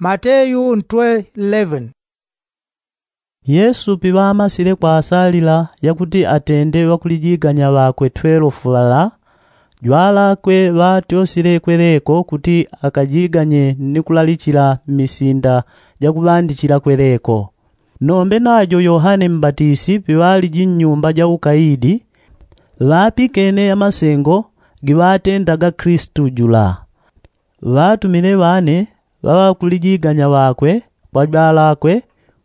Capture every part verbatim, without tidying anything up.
Mateyu ntwe eleven. Yesu piŵamasile kwasalila yakuti atende ŵakulijiganya ŵakwe twelofu ŵala, jwalakwe ŵatyosile kweleko kuti akajiganye ni kulalichila mmisinda jakuŵandichila kweleko. Nombe najo yohane mbatisi piŵaliji nnyumba ja ukaidi, ŵapikene yamasengo giŵatendaga kristu jula. Ŵatumile ŵane ŵaŵakulijiganya ŵakwe kwa jwalakwe,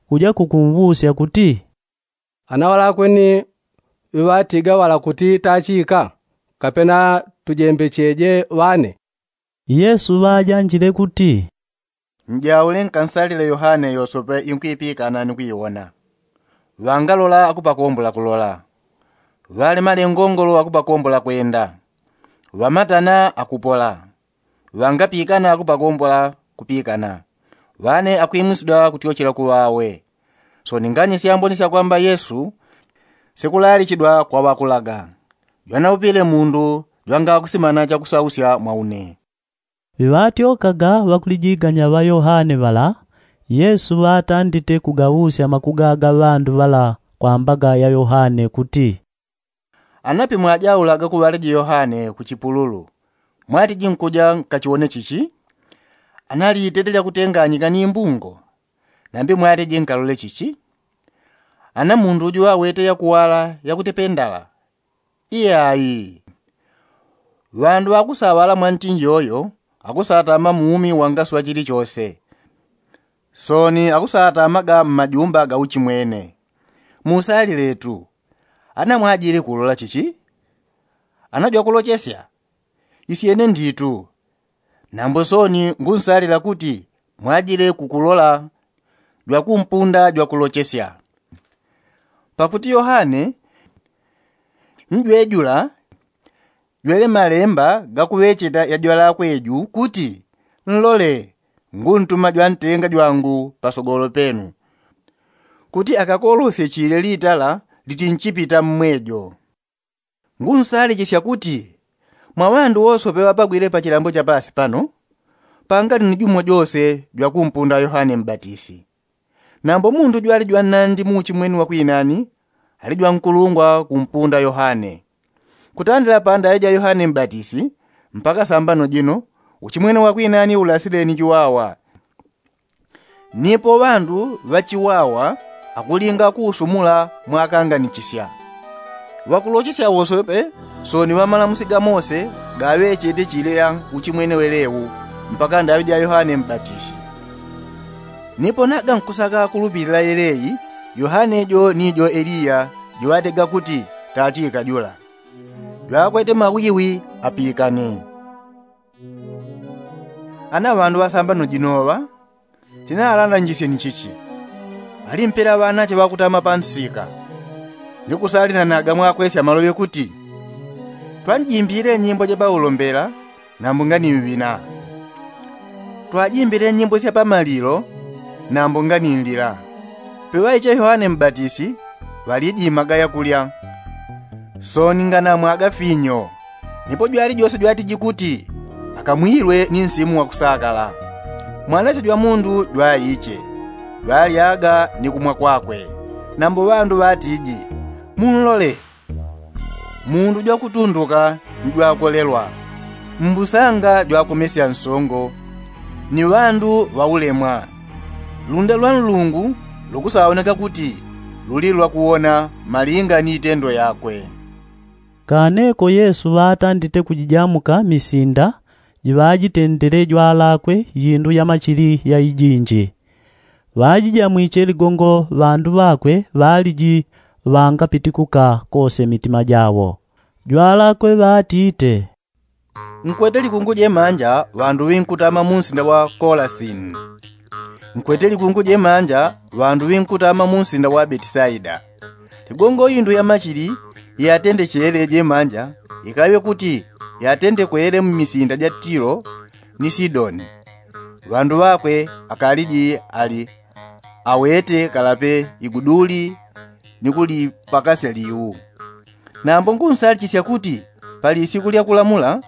kuja kukumvusya kuti, ana ŵalakwe ni ŵiŵatiga ŵala kuti tachika, kapena tujembecheje ŵane? Yesu ŵajanjile kuti, njaule nkansalile yohane yosope inkwipikana ni kwiwona. Ŵangalola akupakombola kulola, ŵalemale ngongolo akupakombola kwenda, ŵamatana akupola, ŵangapikana akupakombola kupikana, ŵane akwimwisidwa kutyochela kuŵawe. Soni ngani syamboni syakwamba yesu sikulalichidwa kwa ŵakulaga, jwanaupile mundu jwangakusimana chakusausya mwa une. Ŵiŵatyokaga ŵakulijiganya ŵa yohane ŵala, yesu ŵatandite kugaŵusya makuga ga ŵandu ŵala kwa mbaga ya yohane kuti, ana pimwajaulaga kuŵaliji yohane ku chipululu, mwatiji nkuja nkachiwone chichi? Ana liitete lyakutenganyika ni mbungo? Nambi mwatiji nkalole chichi? Ana mundu uju ŵawete yakuwala yakutependala? Iyai. Ŵandu ŵakusaŵala mwantinji yoyo akusatama muumi wangaswa chilichose. Soni akusatamaga mmajumba ga uchimwene. Musaliletu, ana mwajile kulola chichi? Ana jwakulochesya? Isyene nditu. Nambo soni ngunsalila kuti mwajile kukulola jwakumpunda jwakulochesya. Pakuti yohane njwejula jwele malemba gakuŵecheta yajwalakwe ju kuti, nlole, nguntuma jwantenga jwangu pasogolo penu, kuti akakolosye chile litala litinchipita mmwejo. Ngunsalichisya kuti mwa ŵandu wosope ŵapagwile pachilambo cha pasi pano, pangali ni jumo jose jwakumpunda yohane mbatisi. Nambo mundu jwali jwanandi muuchimweni wakwinani, ali jwankulungwa kumpunda yohane. Kutandila pandaŵe ja yohane mbatisi mpaka sambano jino, uchimwene wakwinani ulasileni chiwawa. Nipo ŵandu ŵachiwawa akulinga kuusumula mwakanganichisya. Ŵakulochesya wosope soni ŵamalamusi ga mose gaŵechete chile ya uchimwene welewu mpaka ndaŵe ja yohane mbatisi. Nipo naga nkusaka kulupilila yeleyi, yohane jo ni jo eliya jiŵatega kuti tachika jula. Jwakwete mawiwi apikane. Ana ŵandu ŵasambano jinoŵa, tinaŵalandanjisye ni chichi. Ŵalimpela ŵanache ŵakutama pansika, ni kusalinanaga mwakwesya maloŵe kuti, twanjimbile nyimbo ja paulombela nambo nganiŵina. Twajimbile nyimbo sya pamalilo nambo nganilila. Peŵaiche yohane mbatisi ŵalijimaga yakulya, soni nganamwaga finyo. Nipo jwali jose jwatiji kuti akamwilwe ni nsimu wakusakala. Mwanache jwa mundu jwaiche, jwalyaga ni kumwa kwakwe. Nambo ŵandu ŵatiji, munlole, mundu jwakutunduka ni jwakolelwa, mbusanga jwakomesya nsongo, ni ŵandu ŵaulemwa. Lunda lwa nlungu lukusaoneka kuti luli lwakuwona malinga ni itendo yakwe. Kaneko yesu ŵatandite kujijamuka misinda jiŵajitendele jwalakwe yindu ya machili ya ijinji. Ŵajijamwiche ligongo ŵandu ŵakwe ŵaliji ŵangapitikuka kose mitima jawo. Jwalakwe ŵatite, nkwete likungu jemanja ŵandu ŵinkutama munsinda wa kolasini. Nkwete likungu jemanja ŵandu ŵinkutama munsinda wa betisaida. Ligongo indu ya machili yatendechele jemanja ikaŵe kuti yatendekwele mmisinda ja tilo ni sidoni. Ŵandu ŵakwe akaliji ali awete kalape iguduli ni kulipakasya liu. Nambo ngunsalichisya kuti pali isiku lya kulamula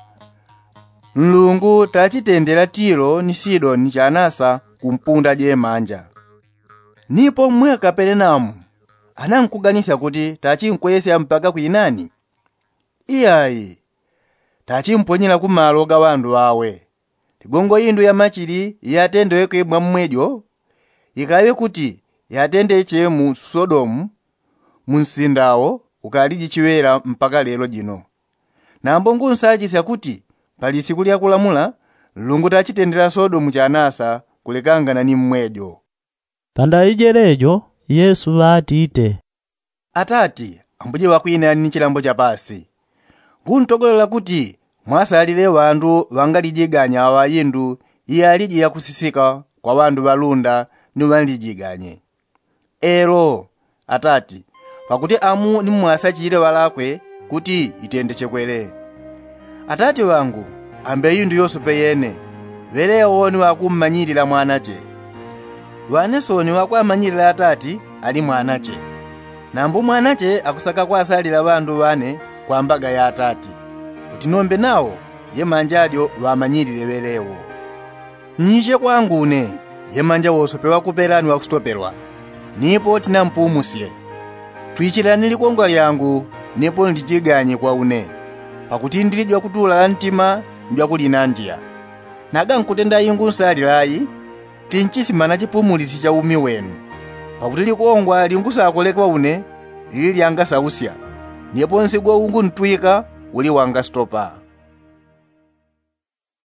nlungu tachitendela tilo ni sidoni chanasa kumpunda jemanja. Nipo mmwe akaperenamu anankuganisya kuti tachinkwesya mpaka kwinani? Iyayi, tachimponyela kumalo ga ŵandu ŵawe. Ligongo indu ya machili iyatendeweke mwa mmwejo, ikaŵe kuti yatendeche mu sodomu, mu nsinda wo ukaliji chiŵela mpaka lelo jino. Nambo ngunsachisya kuti pali siku lya kulamula, nlungu tachitendela sodomu chanasa kulekangana ni mmwejo. Pandaŵi jelejo yesu ŵatite, atati, ambuje ŵakwinani ni chilambo cha pasi, nguntogolela kuti mwasalile ŵandu ŵangalijiganye aŵa indu iyaliji yakusisika kwa ŵandu ŵalunda ni ŵanlijiganye. Elo, atati, pakuti amu ni mwasachile ŵalakwe kuti itendechekwele. Atati ŵangu, ambe indu yosope yene, ŵelewo ni ŵakummanyilila mwanache. Ŵane soni ŵakwamanyilila atati ali mwanache. Nambo mwanache akusaka kwasalila ŵandu ŵane kwa mbaga ya atati, kuti nombe nawo jemanja jo ŵamanyilile ŵelewo. Nyiche kwangu une, jemanja wosope ŵakupela ni ŵakusitopelwa, nipo tinampumusye. Twichilani likongwa lyangu, nipo nlijiganye kwa une, pakuti ndili jwakutula la ntima ni jwakulinandya. Naga nkutenda ingu nsalila ayi, tinchisimana chipumulisyo cha umi wenu. Pakuti likongwa lingusakolekwa une lili lyangasausya, nipo nsigo unguntwika uli wangasitopa.